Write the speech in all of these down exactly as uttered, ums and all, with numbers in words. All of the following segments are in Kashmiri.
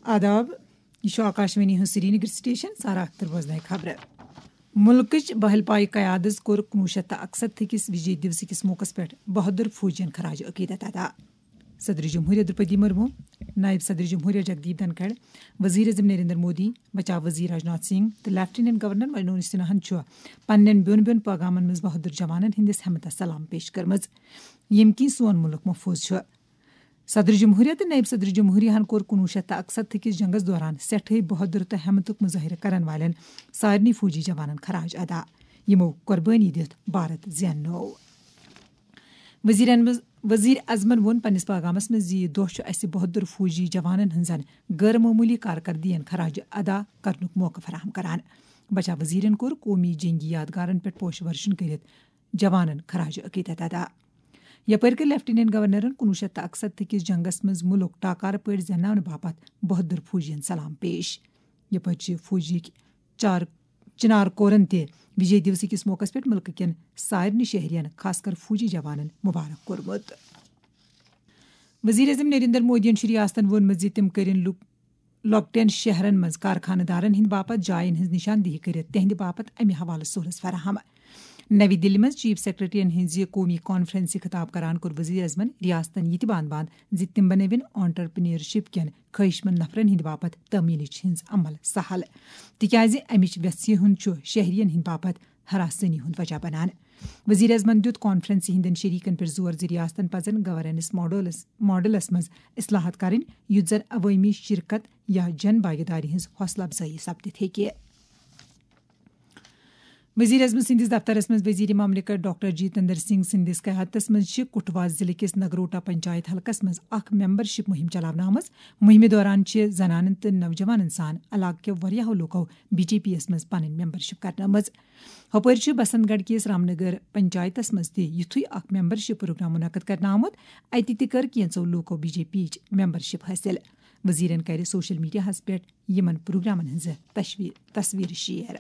آداب، یہِ چھُ آکاشوانی ہُنٛد سرینگر سٹیشن، سارا اختر بوزناوِ خبرٕ۔ مُلکٕچ بہل پایہِ قیادس کوٚر کُنوُہ شیٚتھ تہٕ اکسَتتھ کِس وجے دیوس کِس موقعس پٮ۪ٹھ بہادر فوجین خراج عقیدت ادا۔ صدر جمہوریہ درپدی مرمو، نائب صدر جمہوریہ جگدیپ دھنکھڑ، وزیر اعظم نریندر مودی، بچاو وزیر راجناتھ سنگھ تہٕ لیفٹیننٹ گورنر منوج سنہاہن چھُ پننٮ۪ن بیوٚن بیوٚن پیغامن منٛز بہادر جوانن ہٕنٛدِس ہمتس سلام پیش کٔرمٕژ، ییٚمہِ کِنۍ سون مُلک محفوظ چھُ۔ صدر جمہوریہ تہٕ نائب صدر جمہوریہ ہن کوٚر کُنوُہ شیٚتھ تہٕ اکسَتتھ کِس جنگس دوران سٮ۪ٹھٕے بہادر تہٕ ہمتُک مظٲہرٕ کرن والٮ۪ن سارنٕے فوجی جوانن خراج ادا، یِمو قربٲنی دِتھ بھارت زیننوو۔ وزیرن منٛز، وزیر اعظمن ووٚن پننِس پیغامس منٛز زِ یہِ دۄہ چھُ اسہِ بہادر فوجی جوانن ہٕنٛزن غٲر معموٗلی کارکردگین خراج ادا کرنُک موقعہٕ فراہم کران۔ بچاو وزیرن کوٚر قومی جنگی یادگارن پٮ۪ٹھ پوش ورشن کٔرِتھ جوانن خراج عقیدت ادا۔ یپٲرۍ کٔر لیفٹیننٹ گورنرن کُنوُہ شیٚتھ تہٕ اکسَتتھ کِس جنگس منٛز مُلک ٹاکارٕ پٲٹھۍ زینناونہٕ باپتھ بہادر فوجین سلام پیش۔ یپٲرۍ چھِ فوجیک چار چنار کورن تہِ وجے دیوس کِس موقعس پٮ۪ٹھ مُلکہٕ کٮ۪ن سارنٕے شہرین، خاص کر فوجی جوانن مبارک کوٚرمُت۔ وزیر اعظم نریندر مودیَن چھُ ریاستن ووٚنمُت زِ تِم کٔرِن لُک-، لۄکٹٮ۪ن شہرن منٛز کارخانہٕ دارن ہٕنٛدِ باپتھ جاین ہٕنٛز نشاندہی کٔرِتھ تِہنٛدِ باپتھ امہِ حوالہٕ سہولژ فراہم۔ نوی دِلہِ منٛز چیف سیکرٹریَن ہٕنٛزِ قومی کانفرنسہِ خطاب کران کوٚر وزیر اعظمن ریاستن یہِ تہِ بان باند زِ تِم بنٲوِن آنٹرپرینیورشپ کٮ۪ن خٲہِشمند نفرن ہٕنٛدِ باپتھ تٲمیٖنٕچ ہٕنٛز عمل سہل، تِکیازِ امِچ ویژھِ ہُنٛد چھُ شہرین ہٕنٛدِ باپتھ ہراسٲنی ہُنٛد وجہ بنان۔ وزیر اعظمن دِیُت کانفرنسہِ ہٕنٛدٮ۪ن شریکن پٮ۪ٹھ زور زِ ریاستن پزن گورننس ماڈلس، ماڈلس منٛز اصلاحات کرٕنۍ، یُتھ زن عوٲمی شرکت یا جن بھاگیداری ہٕنٛز حوصلہٕ افزٲیی سپدِتھ ہیٚکہِ۔ وزیر اعظم سٕنٛدِس دفترس منٛز وزیر مملکت ڈاکٹر جتیندر سنگھ سٕنٛدِس قیادتس منٛز چھِ کٹھوا ضلعہٕ کِس نگروٹا پنچایت حلقس منٛز اکھ ممبرشپ مُہِم چلاونہٕ آمٕژ۔ مُہِمہِ دوران چھِ زنانن تہٕ نوجوانن سان علاقہٕ کٮ۪و واریاہو لوٗکو بی جے پی یَس منٛز پنٕنۍ ممبرشپ کرنٲومٕژ۔ ہُپٲرۍ چھُ بسنت گڑھ کِس رامنگر پنچایتس منٛز تہِ یُتھُے اکھ ممبرشپ پروگرام منعقد کرنہٕ آمُت۔ اتہِ تہِ کٔر کینٛژو لوٗکو بی جے پی یِچ ممبرشپ حٲصِل۔ وزیرن کرِ سوشل میڈیاہَس پٮ۪ٹھ یِمن پروگرامن ہٕنٛز تشوی-، تصویر شیئر۔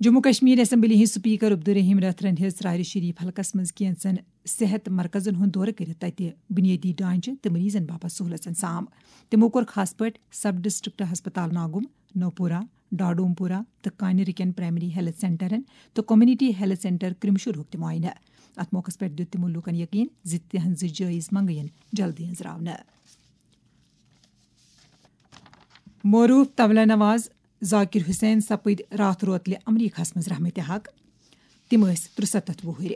جموں کشمیر اسمبلی ہٕنٛدۍ سپیکر عبدالرحیم رتھرن ہیٚژ ژرارِ شریف حلقس منٛز کینژن صحت مرکزن ہُنٛد دورٕ کٔرِتھ تتہِ بنیٲدی ڈھانچہٕ تہٕ مریضن باپتھ سہولژن سام۔ تِمو کوٚر خاص پٲٹھۍ سب ڈسٹرکٹ ہسپتال ناگم، نوپورہ، ڈاڈومپورہ تہٕ کانہِ رکٮ۪ن پرائمری ہیلتھ سینٹرن تہٕ کمیونٹی ہیلتھ سینٹر کرمشورہُک تہِ معائنہٕ۔ اتھ موقعس پٮ۪ٹھ دِیُت تِمو لوٗکن یقین زِ تِہنٛزٕ جٲیز منگہٕ یِن جلدی أنٛزراونہٕ۔ معروف طبلہ نواز ذاکر حسین سپٕدۍ راتھ روتلہِ امریکہس منٛز رحمتِ حق۔ تِم ٲسۍ ترُسَتتھ وُہٕرۍ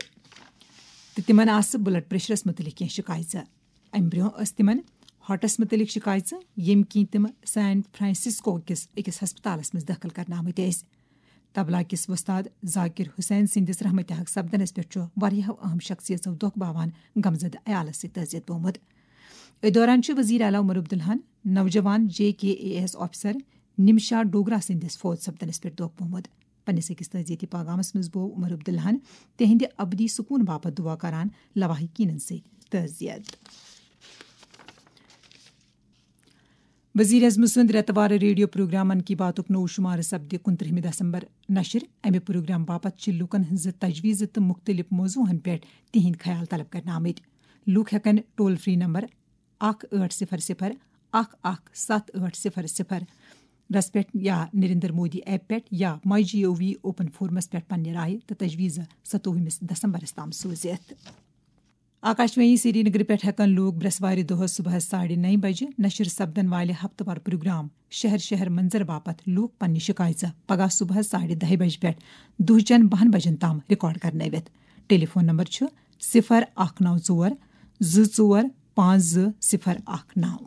تہٕ تِمن آسہٕ بلڈ پریشرس مُتعلق کینٛہہ شکایژٕ۔ امہِ برٛونٛہہ ٲسۍ تِمن ہارٹس مُتعلق شکایژٕ، ییٚمہِ کِنۍ تِم سین فرانسسکو کِس أکِس ہسپتالس منٛز دٲخل کرنہٕ آمٕتۍ ٲسۍ۔ طبلہ کِس وۄستاد ذاکر حسین سٕنٛدِس رحمتِ حق سپدنس پٮ۪ٹھ چھُ واریاہو اہم شخصیژو دۄکھ باوان غمزدٕ عیالس سۭتۍ تعزیت بومُت۔ أتھۍ دوران چھُ وزیر اعلیٰ عمر عبداللہن نوجوان J K A S officer Namisha Dogra سٕنٛدِس فوت سپدنس پٮ۪ٹھ دۄکھ بومُت۔ پننِس أکِس تعزیتی پیغامس منٛز بوو عمر عبداللہن تِہنٛدِ ابدی سکوٗن باپتھ دعا کران لواحقینن سۭتۍ تعزیت۔ وزیر اعظم سُنٛد رٮ۪تہٕ وار ریڈیو پروگرام من کی باتُک نوٚو شمارٕ سپدِ کُنترٕہمہِ دسمبر نشر۔ امہِ پروگرام باپتھ چھِ لوٗکن ہٕنٛزٕ تجویزٕ تہٕ مُختٔلِف موضوعن پٮ۪ٹھ تِہنٛدۍ خیال طلب کرنہٕ آمٕتۍ۔ لوٗکھ ہٮ۪کن ٹول فری نمبر اکھ ٲٹھ صفر صفر اکھ اکھ ستھ ٲٹھ صفر صفر رس پٮ۪ٹھ یا نریندر مودی ایپ پٮ۪ٹھ یا مائی جی او وی اوپن فورمس پٮ۪ٹھ پننہِ رائے تہٕ تجویزٕ ستووُہمِس دسمبرس تام سوٗزِتھ۔ آکاشوانی سرینگر پٮ۪ٹھ ہٮ۪کن لوٗکھ برٛٮ۪سوارِ دۄہس صبحس ساڑِ نَیہِ بجہِ نشر سپدن والہِ ہفتہٕ وار پروگرام شہر شہر منظر باپتھ لوٗکھ پننہِ شکایژٕ پگاہ صبحس ساڑِ دَہہِ بجہِ پٮ۪ٹھ دُہچٮ۪ن بَہَن بجن تام ریکارڈ کرنٲوِتھ۔ ٹیلی فون نمبر چھُ صفر اکھ نو ژور زٕ ژور پانٛژھ زٕ صفر اکھ نو۔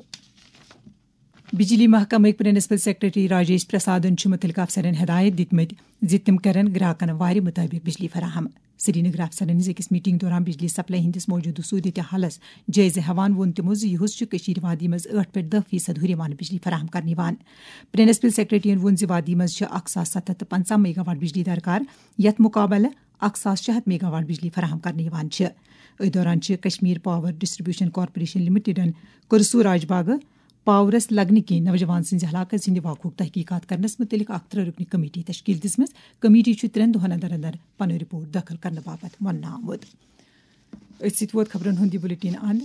بجلی محکمٕکۍ پرنسپل سیکرٹری راجیش پرسادن چھُ مُتعلقہٕ افسرن ہدایت دِتمٕتۍ زِ تِم کرن گراکن وارِ مُطٲبِق بجلی فراہم۔ سرینگر افسرن ہٕنٛز أکِس میٹنگ دوران بجلی سپلائی ہٕنٛدِس موجودٕ صورت حالس جٲیزٕ ہٮ۪وان ووٚن تِمو زِ یُہُس چھُ کٔشیٖرِ وادی منٛز ٲٹھ پٮ۪ٹھ دَہ فیصد ہُریمان بجلی فراہم کرنہٕ یِوان۔ پرنسپل سیکرٹریَن ووٚن زِ وادی منٛز چھِ اکھ ساس ستھ ہتھ تہٕ پنٛژاہ میگاواٹ بجلی درکار، یَتھ مُقابلہٕ اکھ ساس شےٚ ہتھ میگاواٹ بجلی فراہم کرنہٕ یِوان چھِ۔ أتھۍ دوران چھِ Kashmir power distribution corporation لمیٹڈن کرسو Raj Bagh پاورس لگنہٕ کِنۍ نوجوان سٕنٛزِ ہلاکت ہٕنٛدِ واقعُک تحقیقات کرنس مُتعلق اکھ ترٛےٚ رُکنہِ کمیٹی تشکیل دِژمٕژ۔ کمیٹی چھُ ترٛٮ۪ن دۄہن اندر اندر پنُن رپورٹ دٲخل کرنہٕ باپتھ وننہٕ آمُت۔ أتھۍ سۭتۍ ووت خبرن ہُنٛد یہِ بُلٹن اند۔